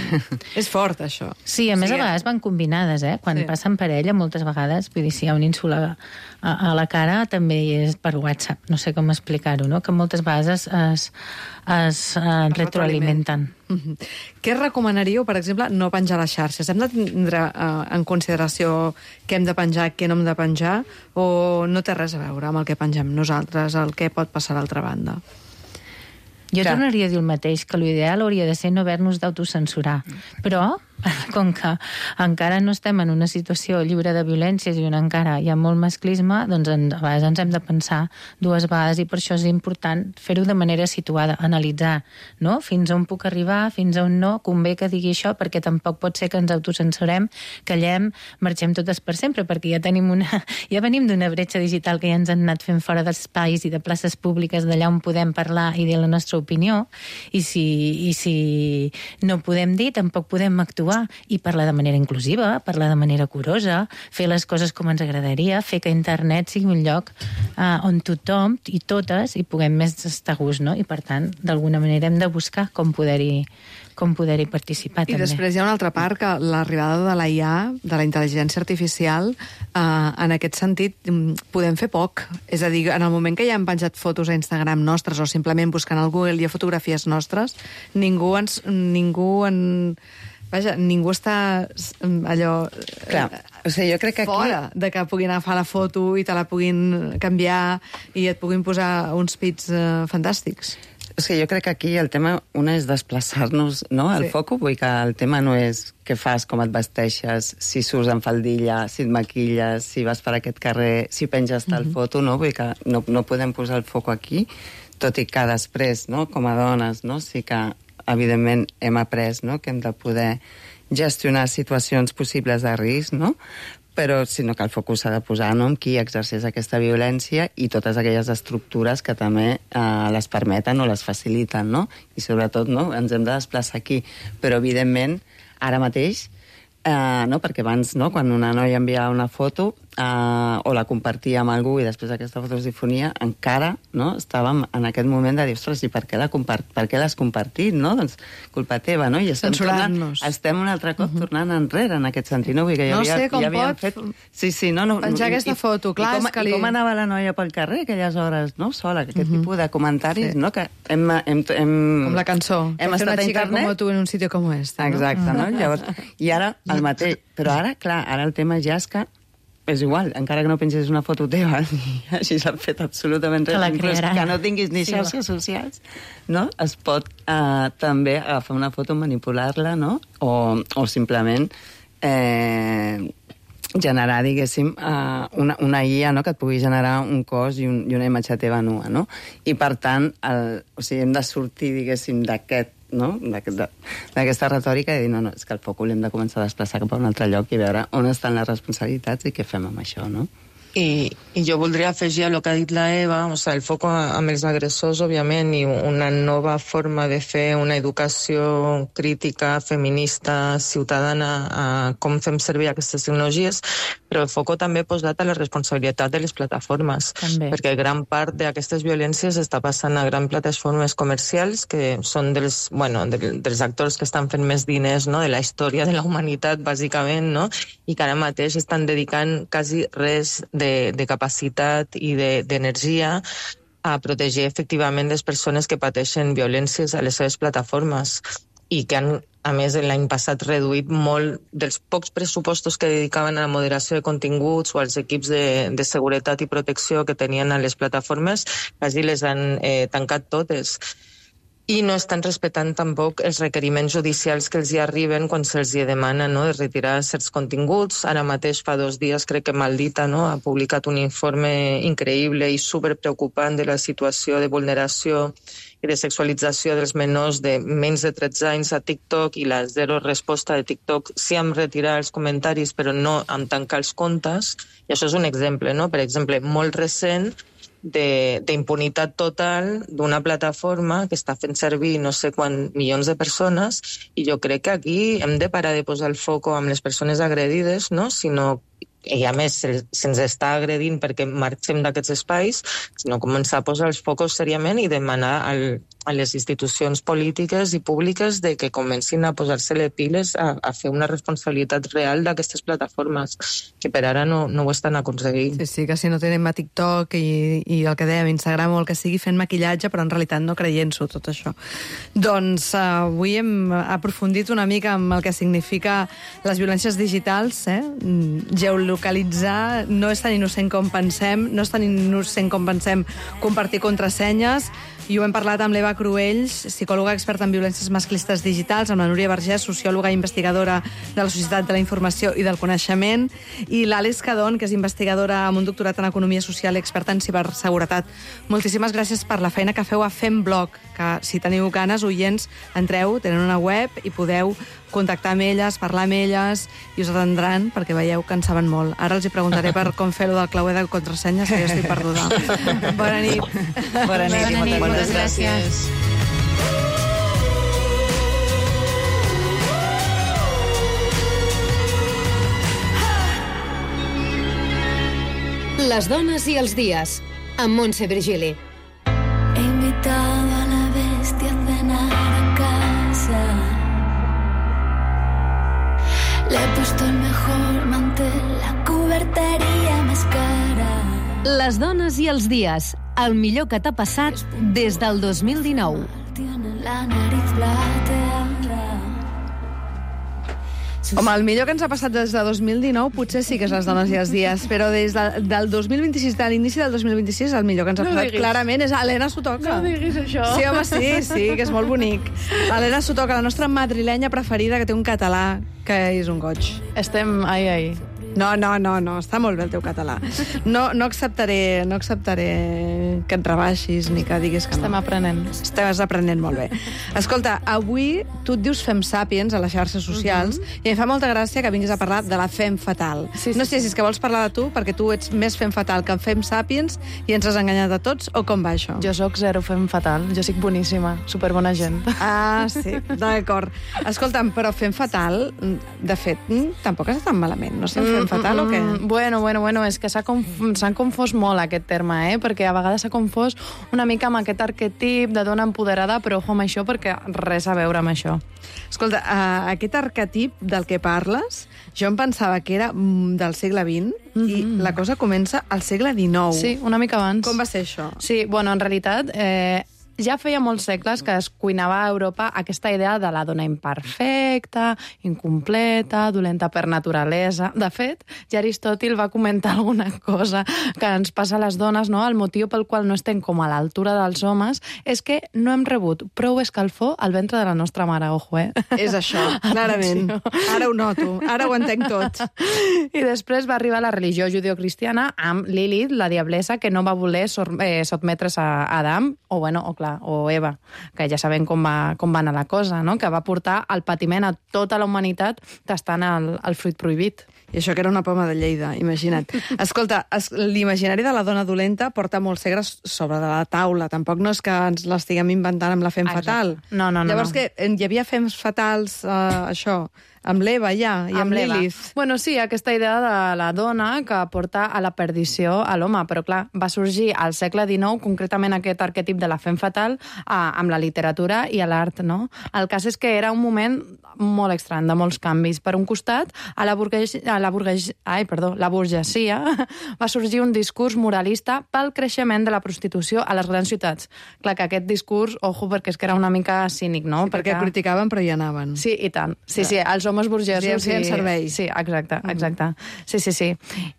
És fort, això. Sí, a més a vegades van combinades, Quan passen parella, moltes vegades, vull dir, si hi ha un insult a la cara, també és per WhatsApp. No sé com explicar-ho, no? Que moltes vegades es retroalimenten. Què recomanaríeu, per exemple, no penjar a les xarxes? Hem de tindre en consideració què hem de penjar, què no hem de penjar, o no té res a veure amb el que pengem nosaltres, el que pot passar a l'altra banda? Jo tornaria a dir el mateix, que l'ideal hauria de ser no haver-nos d'autocensurar. Però, com que encara no estem en una situació lliure de violències i on encara hi ha molt masclisme, doncs a vegades ens hem de pensar dues vegades i per això és important fer-ho de manera situada, analitzar, no? Fins on puc arribar, fins on no, convé que digui això, perquè tampoc pot ser que ens autocensurem, callem, marxem totes per sempre, perquè ja venim d'una bretxa digital que ja ens han anat fent fora d'espais i de places públiques d'allà on podem parlar i dir la nostra opinió, i si no podem dir, tampoc podem actuar i parlar de manera inclusiva, parlar de manera curosa, fer les coses com ens agradaria, fer que internet sigui un lloc on tothom i totes hi puguem més estar a gust, no? I per tant, d'alguna manera hem de buscar com poder-hi participar. I també. Després hi ha una altra part, que l'arribada de la IA, de la intel·ligència artificial, en aquest sentit podem fer poc. És a dir, en el moment que ja hem penjat fotos a Instagram nostres o simplement buscant al Google hi ha fotografies nostres, ningú està allò... Clar, o sigui, jo crec que aquí... Fora de que puguin agafar la foto i te la puguin canviar i et puguin posar uns pits fantàstics. O sigui, jo crec que aquí el tema, una és desplaçar-nos, no?, al foco, vull dir que el tema no és què fas, com et vesteixes, si surts en faldilla, si et maquilles, si vas per aquest carrer, si penges tal foto, no? Vull dir que no podem posar el foco aquí, tot i que després, no?, com a dones, no?, sí que evidentment hem après, no?, que hem de poder gestionar situacions possibles de risc, no?, però sinó que el focus s'ha de posar, no?, en qui exerceix aquesta violència i totes aquelles estructures que també les permeten o les faciliten, no?, i sobretot, no?, ens hem de desplaçar aquí. Però evidentment, ara mateix no? Perquè abans, no? Quan una noia enviava una foto o la compartia amb algú i després aquesta foto es difonia, encara, no? Estàvem en aquest moment de dir, ostres, i per què l'has compartit, no? Doncs culpa teva, no? I estem un altre cop tornant enrere en aquest sentit, no? Vull dir que no sé com pot penjar aquesta foto, clar. I com anava la noia pel carrer aquelles hores, no? Sola, aquest tipus de comentaris, no? Que com la cançó, hem estat a internet. Como tu en un sitio como este. Exacte, no? Llavors, i ara el mateix. Però ara, clar, ara el tema ja és que és igual, encara que no pensis una foto teva i així s'ha fet absolutament res, inclús que no tinguis ni xarxes socials, no? Es pot també agafar una foto, manipular-la, no? O simplement generar, diguéssim, una IA, no? Que et pugui generar un cos i una imatge teva nua, no? I, per tant, hem de sortir, diguéssim, d'aquesta retòrica i dir, no, és que el focus l'hem de començar a desplaçar cap a un altre lloc i veure on estan les responsabilitats i què fem amb això, no? I jo voldria afegir a el que ha dit la Eva, o sigui, el foc amb els agressors, òbviament, i una nova forma de fer una educació crítica, feminista, ciutadana, a com fem servir aquestes tecnologies, però el foc també posat a la responsabilitat de les plataformes, perquè gran part d'aquestes violències està passant a grans plataformes comercials, que són dels actors que estan fent més diners, no?, de la història de la humanitat, bàsicament, no?, i que ara mateix estan dedicant quasi res de capacitat i d'energia a protegir efectivament les persones que pateixen violències a les seves plataformes i que han, a més, l'any passat reduït molt dels pocs pressupostos que dedicaven a la moderació de continguts o als equips de seguretat i protecció que tenien a les plataformes, quasi les han tancat totes. I no estan respectant tampoc els requeriments judicials que els hi arriben quan se'ls hi demana, no?, de retirar certs continguts. Ara mateix, fa 2 dies, crec que Maldita, no?, ha publicat un informe increïble i superpreocupant de la situació de vulneració i de sexualització dels menors de menys de 13 anys a TikTok i la zero resposta de TikTok, sí amb retirar els comentaris, però no amb tancar els comptes. I això és un exemple, no?, per exemple, molt recent, d'impunitat total d'una plataforma que està fent servir no sé quants milions de persones, i jo crec que aquí hem de parar de posar el foco amb les persones agredides, no? Sinó, i a més se'ns està agredint perquè marxem d'aquests espais, sinó començar a posar els focus seriament i demanar a les institucions polítiques i públiques de que comencin a posar-se-li piles a fer una responsabilitat real d'aquestes plataformes, que per ara no ho estan aconseguint. Sí, que si no tenim a TikTok i el que dèiem, Instagram o el que sigui, fent maquillatge, però en realitat no creient-s'ho, tot això. Doncs avui hem aprofundit una mica amb el que significa les violències digitals, geolocalitzar no és tan innocent com pensem, no és tan innocent com pensem compartir contrasenyes, i ho hem parlat amb l'Eva Cruells, psicòloga experta en violències masclistes digitals, amb la Núria Vergés, sociòloga i investigadora de la Societat de la Informació i del Coneixement, i l'Àlex Cadón, que és investigadora amb un doctorat en Economia Social i experta en ciberseguretat. Moltíssimes gràcies per la feina que feu a FemBlog, que si teniu ganes, oients, entreu, tenen una web i podeu contactar amb elles, parlar amb elles, i us atendran, perquè veieu que en saben molt. Ara els hi preguntaré per com fer-ho del clauer de contrasenyes, que jo estic perduda. Bona nit. Bona nit. Moltes gràcies. Les dones i els dies, amb Montse Virgili. He invitado a la bestia a cenar a casa. Le he puesto el mejor mantel, la cubertería más cara. Les dones i els dies, el millor que t'ha passat des del 2019. Tiene la nariz plateada. Home, el millor que ens ha passat des de 2019 potser sí que és les dones i els dies, però des del 2026, de l'inici del 2026, el millor que ens ha passat clarament és Helena Sotoca. No diguis això. Sí, home, sí, que és molt bonic. Helena Sotoca, la nostra madrilenya preferida, que té un català que és un goig. Estem ai. No, està molt bé el teu català. No acceptaré que et rebaixis ni que diguis que no. Estem aprenent. Estàs aprenent molt bé. Escolta, avui tu et dius Fem Sàpiens a les xarxes socials i em fa molta gràcia que vinguis a parlar de la Fem Fatal. No sé si és que vols parlar de tu, perquè tu ets més Fem Fatal que Fem Sàpiens i ens has enganyat a tots, o com va això? Jo sóc zero Fem Fatal. Jo soc boníssima, superbona gent. Ah, sí, d'acord. Escolta'm, però Fem Fatal, de fet, tampoc està tan malament, no sé, Fem Fatal o què? Bueno, és que s'han confós molt aquest terme, perquè a vegades s'ha confós una mica amb aquest arquetip de dona empoderada, però ojo amb això perquè res a veure amb això. Escolta, aquest arquetip del que parles, jo em pensava que era del segle XX i la cosa comença al segle XIX. Sí, una mica abans. Com va ser això? Sí, bueno, en realitat... ja feia molts segles que es cuinava a Europa aquesta idea de la dona imperfecta, incompleta, dolenta per naturalesa. De fet, ja Aristòtil va comentar alguna cosa que ens passa a les dones, no? El motiu pel qual no estem com a l'altura dels homes és que no hem rebut prou escalfor al ventre de la nostra mare, ojo, És això, clarament. Ara ho noto, ara ho entenc tot. I després va arribar la religió judeocristiana amb Lilith, la diablessa, que no va voler sotmetre's a Adam, o Eva, que ja sabem com va anar la cosa, no? Que va portar el patiment a tota la humanitat tastant el fruit prohibit. I això que era una poma de Lleida, imagina't. Escolta, l'imaginari de la dona dolenta porta molts segles sobre de la taula. Tampoc no és que ens l'estiguem inventant amb la Fem Fatal. No. Llavors, que hi havia Fems Fatals, això, amb l'Eva ja, i amb Lilith. Bueno, sí, aquesta idea de la dona que porta a la perdició a l'home, però clar, va sorgir al segle XIX, concretament aquest arquetip de la Fem Fatal, amb la literatura i l'art, no? El cas és que era un moment molt estrany, de molts canvis. Per un costat, a la burgesia va sorgir un discurs moralista pel creixement de la prostitució a les grans ciutats. Clar que aquest discurs, ojo, perquè és que era una mica cínic, no? Sí, perquè criticaven però hi anaven. Sí, i tant. Sí, els homes burgesos... Sí, en servei. Sí, exacte. Sí.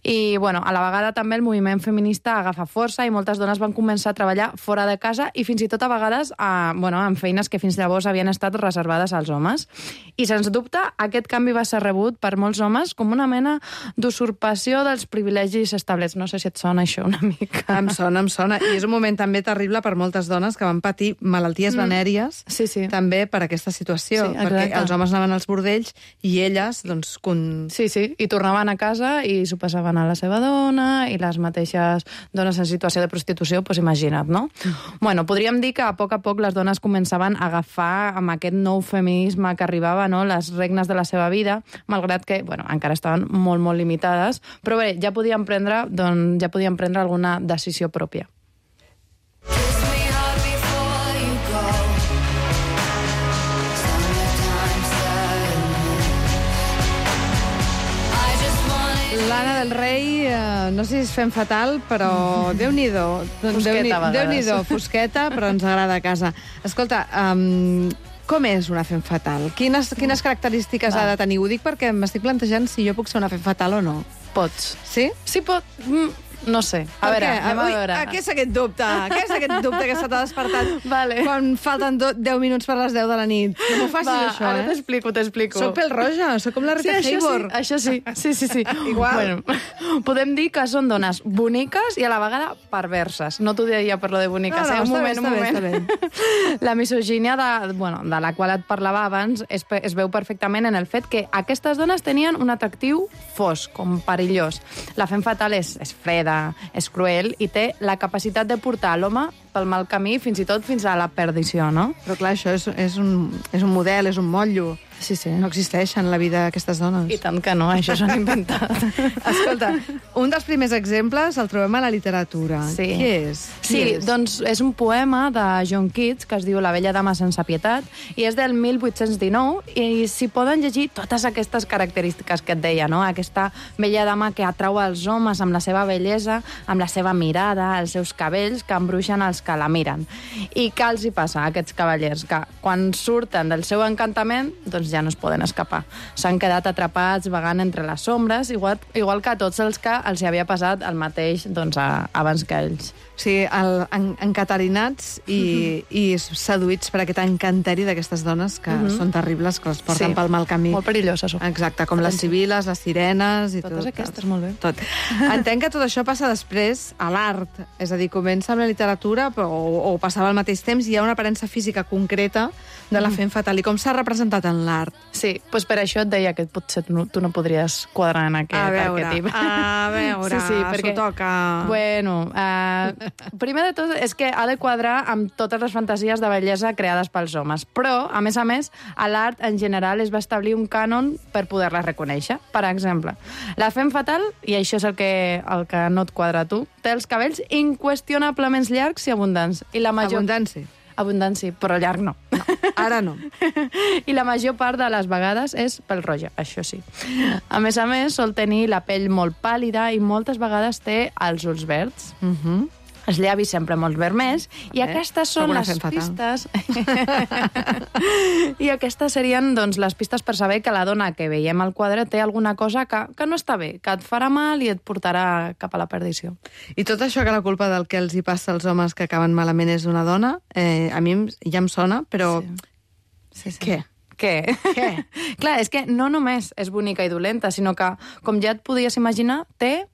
I, bueno, a la vegada també el moviment feminista agafa força i moltes dones van començar a treballar fora de casa i fins i tot a vegades en feines que fins llavors havien estat reservades als homes. I, sens dubte, aquest canvi va ser rebut per molts homes com una mena d'usurpació dels privilegis establerts. No sé si et sona això una mica. Em sona. I és un moment també terrible per moltes dones que van patir malalties venèries també per aquesta situació. Sí, perquè els homes anaven als bordells i elles, doncs... Sí, i tornaven a casa i s'ho passaven a la seva dona i les mateixes dones en situació de prostitució, doncs imagina't, no? Bueno, podríem dir que a poc les dones començaven a agafar amb aquest nou feminisme que arribava, no?, les regnes de la seva vida, malgrat que, bueno, encara estaven molt, molt limitades, però bé, ja podien prendre alguna decisió pròpia. L'Anna del Rei, no sé si és Fem Fatal, però Déu-n'hi-do. Déu-n'hi-do, fosqueta, però ens agrada a casa. Escolta, com és una Fem Fatal? Quines característiques ha de tenir? Ho dic perquè m'estic plantejant si jo puc ser una Fem Fatal o no. Pots. Sí? Sí, pot. No sé. A veure, anem a veure. Què és aquest dubte? Què és aquest dubte que se t'ha despertat quan falten 10 minuts per les 10 de la nit? No m'ho facis, això, ara t'explico. Soc pèl-roja, soc com la Rita Hayworth. Això sí. Igual. Bueno, podem dir que són dones boniques i a la vegada perverses. No t'ho diria per lo de boniques, un moment. Està bé. La misogínia de la qual et parlava abans es veu perfectament en el fet que aquestes dones tenien un atractiu fosc, com perillós. La Fem Fatal és freda, és cruel i té la capacitat de portar l'home pel mal camí, fins i tot fins a la perdició, no? Però clar, això és un model, és un motllo. Sí. No existeixen la vida d'aquestes dones. I tant que no, això s'han inventat. Escolta, un dels primers exemples el trobem a la literatura. Sí. Què és? Doncs és un poema de John Keats que es diu La vella dama sense pietat i és del 1819 i s'hi poden llegir totes aquestes característiques que et deia, no? Aquesta vella dama que atrau els homes amb la seva bellesa, amb la seva mirada, els seus cabells que embruixen els que la miren. I què els hi passa a aquests cavallers? Que quan surten del seu encantament, doncs ja no es poden escapar. S'han quedat atrapats vagant entre les ombres, igual que a tots els que els hi havia passat el mateix doncs, abans que ells. Sí, encatarinats i seduïts per aquest encanteri d'aquestes dones que són terribles, que les porten pel mal camí. Molt perilloses. Exacte, com les sibil·les, les sirenes... Totes aquestes, molt bé. Tot. Entenc que tot això passa després a l'art, és a dir, comença amb la literatura o passava al mateix temps i hi ha una aparença física concreta de la femme fatale. I com s'ha representat en l'art? Sí, doncs per això et deia que potser tu no podries quadrar en aquest arquetip. A veure, perquè... s'ho toca... Bueno, primer de tot és que ha de quadrar amb totes les fantasies de bellesa creades pels homes, però, a més, a l'art en general es va establir un cànon per poder-la reconèixer. Per exemple, la femme fatale, i això és el que no et quadra a tu, té els cabells inqüestionablement llargs i abundants. I la major... Abundància, però llarg no. Ara no. I la major part de les vegades és pèl-roja, això sí. A més, sol tenir la pell molt pàl·lida i moltes vegades té els ulls verds. Els llavis sempre molt vermells, i aquestes són les pistes... I aquestes serien doncs, les pistes per saber que la dona que veiem al quadre té alguna cosa que no està bé, que et farà mal i et portarà cap a la perdició. I tot això que la culpa del que els hi passa als homes que acaben malament és una dona, a mi ja em sona, però... Sí. Què? Clar, és que no només és bonica i dolenta, sinó que, com ja et podies imaginar, té...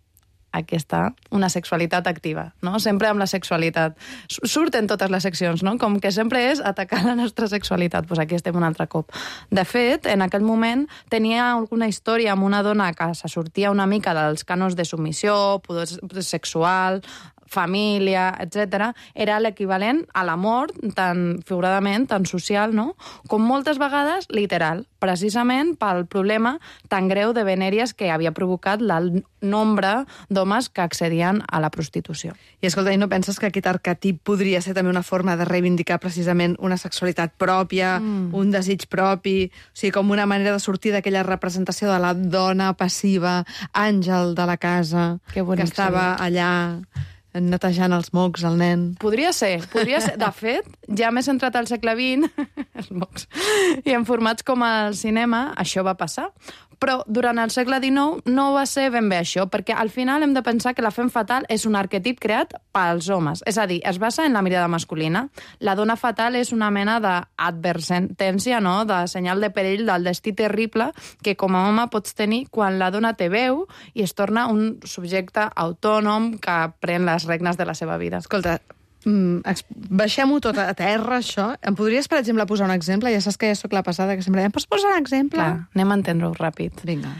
Aquí està, una sexualitat activa, no? Sempre amb la sexualitat. Surten totes les seccions, no? Com que sempre és atacar la nostra sexualitat. Doncs aquí estem un altre cop. De fet, en aquell moment tenia alguna història amb una dona que se sortia una mica dels cànons de submissió, poder sexual, família, etc. Era l'equivalent a l'amor, tant figuradament, tant social, no? Com moltes vegades literal, precisament pel problema tan greu de venèries que havia provocat el nombre d'homes que accedien a la prostitució. I escolta, i no penses que aquest arquetip podria ser també una forma de reivindicar precisament una sexualitat pròpia, un desig propi, o sigui, com una manera de sortir d'aquella representació de la dona passiva, àngel de la casa, que estava allà netejant els mocs al nen. Podria ser. De fet, ja més entrat al segle XX, els mocs, i en formats com el cinema, això va passar. Però durant el segle XIX no va ser ben bé això, perquè al final hem de pensar que la femme fatale és un arquetip creat pels homes. És a dir, es basa en la mirada masculina. La dona fatal és una mena d'advertència, no?, de senyal de perill del destí terrible que com a home pots tenir quan la dona té veu i es torna un subjecte autònom que pren les regnes de la seva vida. Escolta, baixem-ho tot a terra, això. Em podries, per exemple, posar un exemple? Ja saps que ja soc la passada, que sempre diem, pots posar un exemple? Clar, anem a entendre-ho ràpid. Vinga.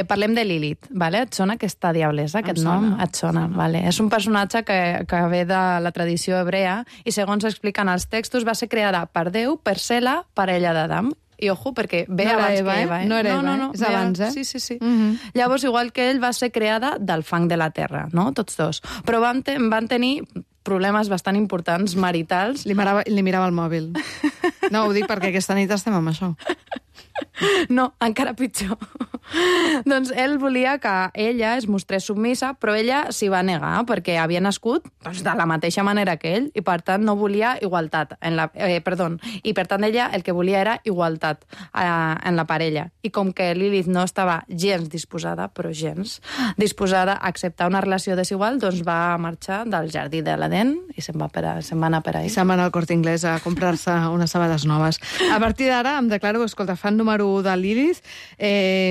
Parlem de Lilith, vale? Et sona aquesta diablesa, aquest nom? Et sona, vale. És un personatge que ve de la tradició hebrea i, segons expliquen els textos, va ser creada per Déu per ser la parella d'Adam. I ojo, perquè ve no abans Eva, que Eva. No era Eva, no. És abans, eh? Sí. Llavors, igual que ell, va ser creada del fang de la terra, no? Tots dos. Però van tenir problemes bastant importants maritals. Li mirava el mòbil. No, ho dic perquè aquesta nit estem amb això. No, encara pitjor. Doncs ell volia que ella es mostrés submissa, però ella s'hi va negar, perquè havia nascut de la mateixa manera que ell, i per tant no volia igualtat. I per tant ella el que volia era igualtat en la parella. I com que Lilith no estava gens disposada a acceptar una relació desigual, doncs va marxar del jardí de l'Edén i se'n va anar per ahí. I se'n va anar al Corte Inglés a comprar-se unes sabades noves. A partir d'ara em declaro, escolta, fan número 1 de Lilith,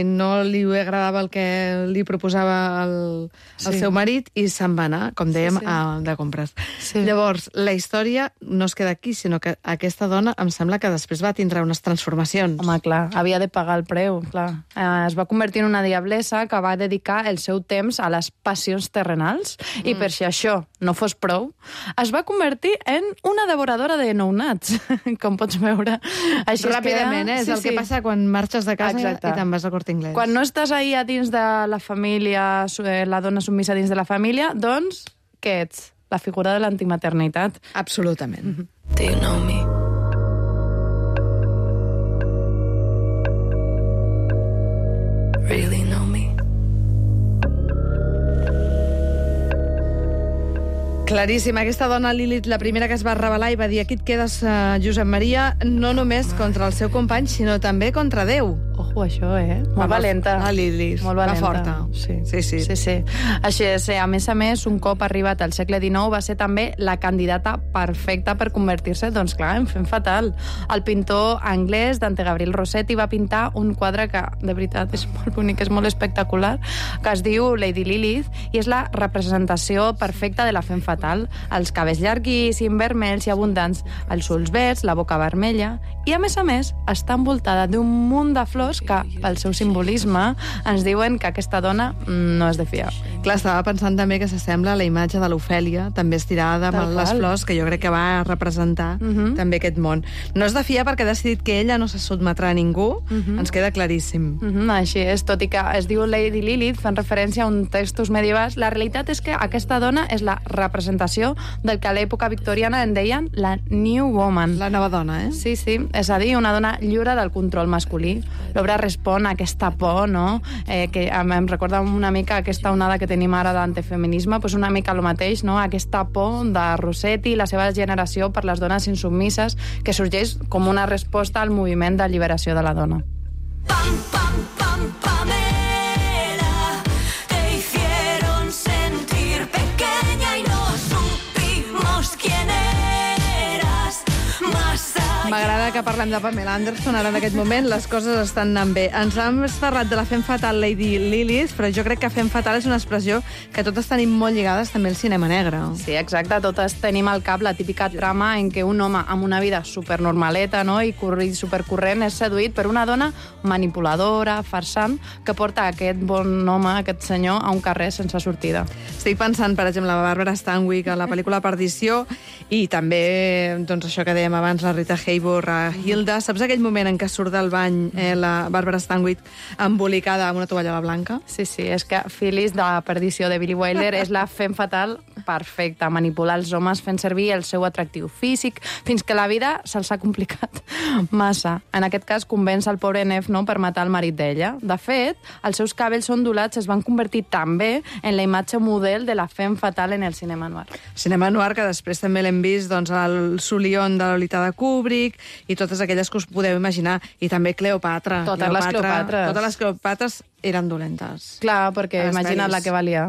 no li agradava el que li proposava el seu marit i se'n va anar, com dèiem, de compres. Sí. Llavors, la història no es queda aquí, sinó que aquesta dona em sembla que després va tindre unes transformacions. Home, clar, havia de pagar el preu, clar. Es va convertir en una diablessa que va dedicar el seu temps a les passions terrenals i per si això no fos prou, es va convertir en una devoradora de nounats, com pots veure. Així ràpidament, és el que passa quan marxes de casa i te'n vas al Corte Inglés. Quan no estàs ahí a dins de la família, la dona submissa dins de la família, doncs, què ets? La figura de l'antimaternitat. Absolutament. Do you know me? Really know me? Claríssim. Aquesta dona, Lilith, la primera que es va rebel·lar i va dir aquí et quedes, Josep Maria, no només contra el seu company, sinó també contra Déu. Ojo, això, Molt valenta. La Lilith. Molt valenta. Va forta. Sí. Així és. A més, un cop arribat al segle XIX, va ser també la candidata perfecta per convertir-se, doncs clar, en femme fatal. El pintor anglès Dante Gabriel Rossetti va pintar un quadre que, de veritat, és molt bonic, és molt espectacular, que es diu Lady Lilith, i és la representació perfecta de la femme fatal. Els cabells llarguíssims, vermells i abundants, els ulls verds, la boca vermella, i a més, està envoltada d'un munt de flors que, pel seu simbolisme, ens diuen que aquesta dona no és de fiar. Clar, estava pensant també que s'assembla a la imatge de l'Ofèlia, també estirada amb les flors, que jo crec que va representar també aquest món. No és de fiar perquè ha decidit que ella no se sotmetrà a ningú, ens queda claríssim. Així és, tot i que es diu Lady Lilith, fan referència a uns textos medievals, la realitat és que aquesta dona és la representació del que a l'època victoriana en deien la New Woman. La nova dona, Sí, és a dir, una dona lliure del control masculí. L'obra respon a aquesta por, no?, que em recorda una mica aquesta onada que tenim ara d'antifeminisme, doncs una mica el mateix, no?, aquesta por de Rossetti i la seva generació per les dones insubmises, que sorgeix com una resposta al moviment d'alliberació de la dona. M'agrada que parlem de Pamela Anderson ara en aquest moment, les coses estan anant bé. Ens hem parlat de la femme fatal Lady Lilith, però jo crec que femme fatal és una expressió que totes tenim molt lligades també al cinema negre. Sí, exacte, totes tenim al cap la típica trama en què un home amb una vida supernormaleta, no?, i supercorrent és seduït per una dona manipuladora, farsant, que porta aquest bon home, aquest senyor, a un carrer sense sortida. Estic pensant, per exemple, a Barbara Stanwyck, a la pel·lícula Perdició, i també, doncs, això que dèiem abans, la Rita Hayworth, a Hilda. Saps aquell moment en què surt del bany la Barbara Stanwyck embolicada amb una tovallola blanca? Sí, és que Phyllis, de Perdició, de Billy Wilder, és la femme fatal perfecta, manipular els homes fent servir el seu atractiu físic, fins que la vida se'ls ha complicat massa. En aquest cas, convenç el pobre Neff, no?, per matar el marit d'ella. De fet, els seus cabells ondulats es van convertir també en la imatge model de la femme fatal en el cinema noir. Cinema noir que després també l'hem vist, doncs, al Solion de Lolita de Kubrick i totes aquelles que us podeu imaginar. I també Cleopatra. Totes les Cleopatres eren dolentes. Clar, perquè imagina't la que valia.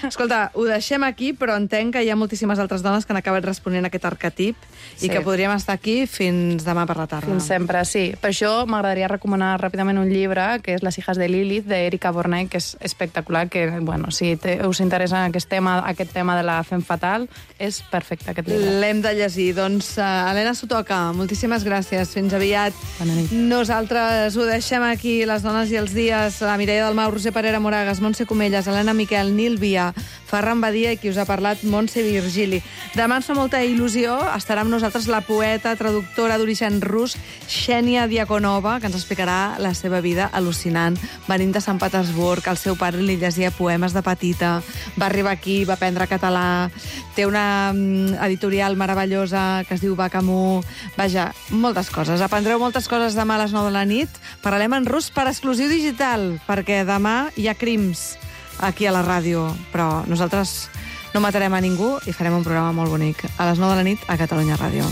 Escolta, ho deixem aquí, però entenc que hi ha moltíssimes altres dones que han acabat responent a aquest arquetip i que podríem estar aquí fins demà per la tarda. Fins sempre, sí. Per això m'agradaria recomanar ràpidament un llibre, que és Les hijas de Lilith, d'Erika Bornay, que és espectacular, que, bueno, si us interessa aquest tema de la femme fatal, és perfecte, aquest llibre. L'hem de llegir. Doncs, Helena Sotoca, moltíssimes gràcies. Fins aviat. Bona nit. Nosaltres ho deixem aquí, les dones i els dies. La Mireia Dalmau, Roser Parera Moragas, Montse Comelles, Helena Miquel, Nil Via, Ferran Badia i qui us ha parlat, Montse Virgili. Demà ens fa molta il·lusió, estarà amb nosaltres la poeta, traductora d'origen rus, Xènia Diakonova, que ens explicarà la seva vida al·lucinant. Venint de Sant Petersburg, el seu pare li llegia poemes de petita, va arribar aquí, va aprendre català, té una editorial meravellosa que es diu Bacamú. Vaja, moltes coses. Aprendreu moltes coses demà a les 9 de la nit. Parlarem en rus per exclusiu digital, perquè demà hi ha crims aquí a la ràdio, però nosaltres no matarem a ningú i farem un programa molt bonic a les 9 de la nit a Catalunya Ràdio.